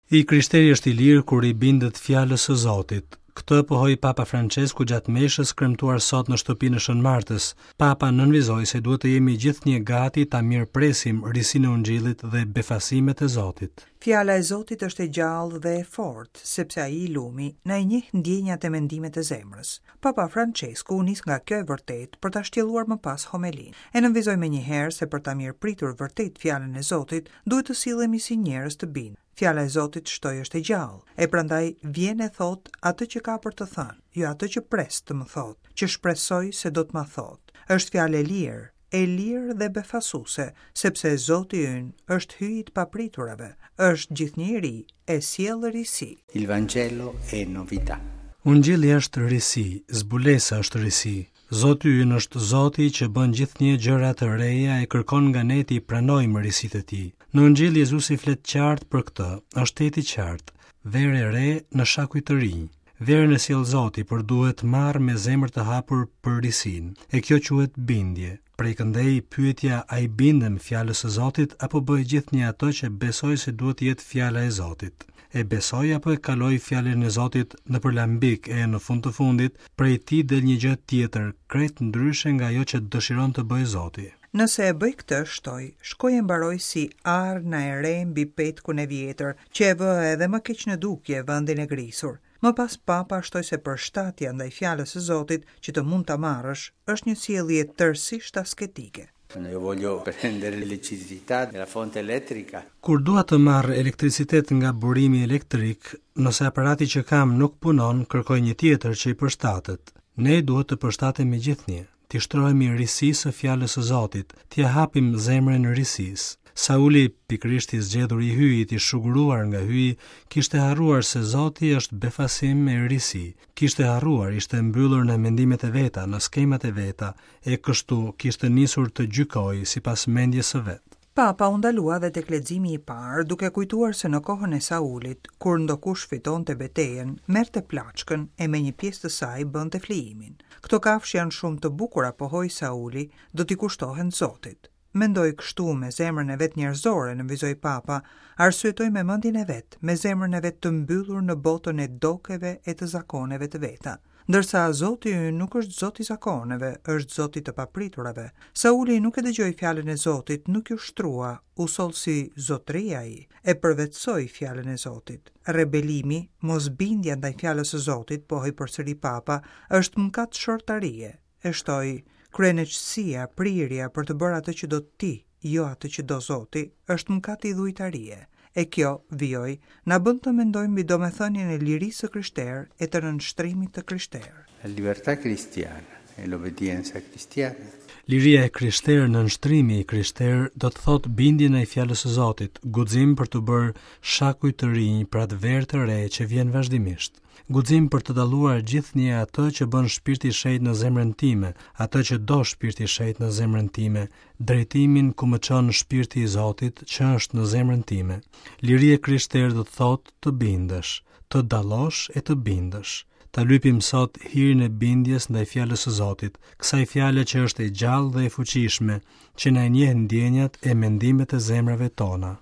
I krishteri është i lirë kur i bindet fjalës së Zotit. Këtë pohoi Papa Françesku gjatë meshës kremtuar sot në shtëpinë e Shën Martës. Papa nënvizoi se duhet të jemi gjithnjë gati ta mirëpresim risinë e Ungjillit dhe befasimet e Zotit. Fjala e Zotit është e gjallë dhe e fortë, sepse ai i lumi na i njeh ndjenjat e mendimet e zemrës. Papa Françesku u nis nga kjo e vërtetë për ta shtjelluar më pas homelinë. E nënvizoi menjëherë se për ta mirëpritur vërtet fjalën e Zotit, duhet të sillemi si njerëz të bindur. Fjala e Zotit shtoi është e gjallë, e prandaj vjen e thotë atë që ka për të thënë, jo atë që pres të më thotë, që shpresoj se do të ma thotë. Është fjalë e lirë, e lirë dhe befasuese, sepse Zoti ynë është Hyji i të papriturave, është gjithnjë i ri, e sjell risi. Il Vangelo è novità. Ungjilli është risi, zbulesa është risi. Zoti ynë është Zoti që bën gjithnjë gjëra të reja e kërkon nga ne t'i pranojmë risitë e tij. Në Ungjill Jezusi flet qartë për këtë, është tejet i qartë. Verë e re në shakuj të rinj. Verën e sjell Zoti, por duhet marrë me zemër të hapur për risinë. E kjo quhet bindje. Prej këndej pyetja a i bindem fjalës së Zotit apo bëj gjithnjë atë që besoj se duhet të jetë fjala e Zotit. E besoj apo e kaloj fjalën e Zotit nëpër lambik e në fund të fundit prej tij del një gjë tjetër, krejt ndryshe nga ajo që dëshiron të bëjë Zoti. Nëse e bëj këtë, shtoi, shkoj e mbaroj si arna e re mbi petkun e vjetër, që e vë edhe më keq në dukje vendin e grisur. Më pas Papa shtoi se përshtatja ndaj fjalës së Zotit që të mund ta marrësh, është një sjellje tërësisht asketike. Quando io voglio prendere l'elettricità dalla fonte elettrica. Kur dua të marr elektricitet nga burimi elektrik, nëse aparati që kam nuk punon, kërkoj një tjetër që i përshtatet. Ne duhet të përshtatemi gjithnjë. T'i shtrohemi risisë së fjalës së Zotit, t'ia hapim zemrën risisë. Sauli, pikërisht i zgjedhuri i Hyjit, i shuguruar nga Hyji, kishte harruar se Zoti është befasim e risi. Kishte harruar, ishte mbyllur në mendimet e veta, në skemat e veta, e kështu kishte nisur të gjykojë sipas mendjes së vet. Papa u ndalua dhe tek leximi i parë, duke kujtuar se në kohën e Saulit, kur ndokush fitonte betejën, merrte plaçkën e me një pjesë të saj bënte flijimin. Këto kafshë janë shumë të bukura, pohoi Sauli, do t'i kushtohen Zotit. Mendoi kështu me zemrën e vet njerëzore, nënvizoi Papa, arsyetoi me mendjen e vet, me zemrën e vet të mbyllur në botën e dokeve e të zakoneve të veta. Ndërsa Zoti ynë nuk është Zot i zakoneve, është Zot i të papriturave. Sauli nuk e dëgjoi fjalën e Zotit, nuk iu shtrua, u soll si zotëri ai, e përvetësoi fjalën e Zotit. Rebelimi, mosbindja ndaj fjalës së Zotit, pohoi përsëri Papa, është mëkat shortarie. E shtoi, kryeneçësia, prirja për të bërë atë që do ti, jo atë që do Zoti, është mëkat idhujtarie. E kjo, vijoi, na bën të mendojmë mbi domethënien e lirisë së krishterë e të nënshtrimit të krishterë. La libertà cristiana e l'obbedienza cristiana. Liria e krishterë, nënshtrimi i krishterë, do të thotë bindje ndaj fjalës së Zotit, guxim për t'u bërë shakuj të rinj për atë verë të re që vjen vazhdimisht. Guxim për të dalluar gjithnjë atë që bën Shpirti i Shenjtë në zemrën time, atë që do Shpirti i Shenjtë në zemrën time, drejtimin ku më çon Shpirti i Zotit që është në zemrën time. Liri e krishterë do të thotë të bindesh, të dallosh e të bindesh. Ta lypim sot hirin e bindjes ndaj fjalës së Zotit, kësaj fjale që është e gjallë dhe e fuqishme, që na i njeh ndjenjat e mendimet e zemrave tona.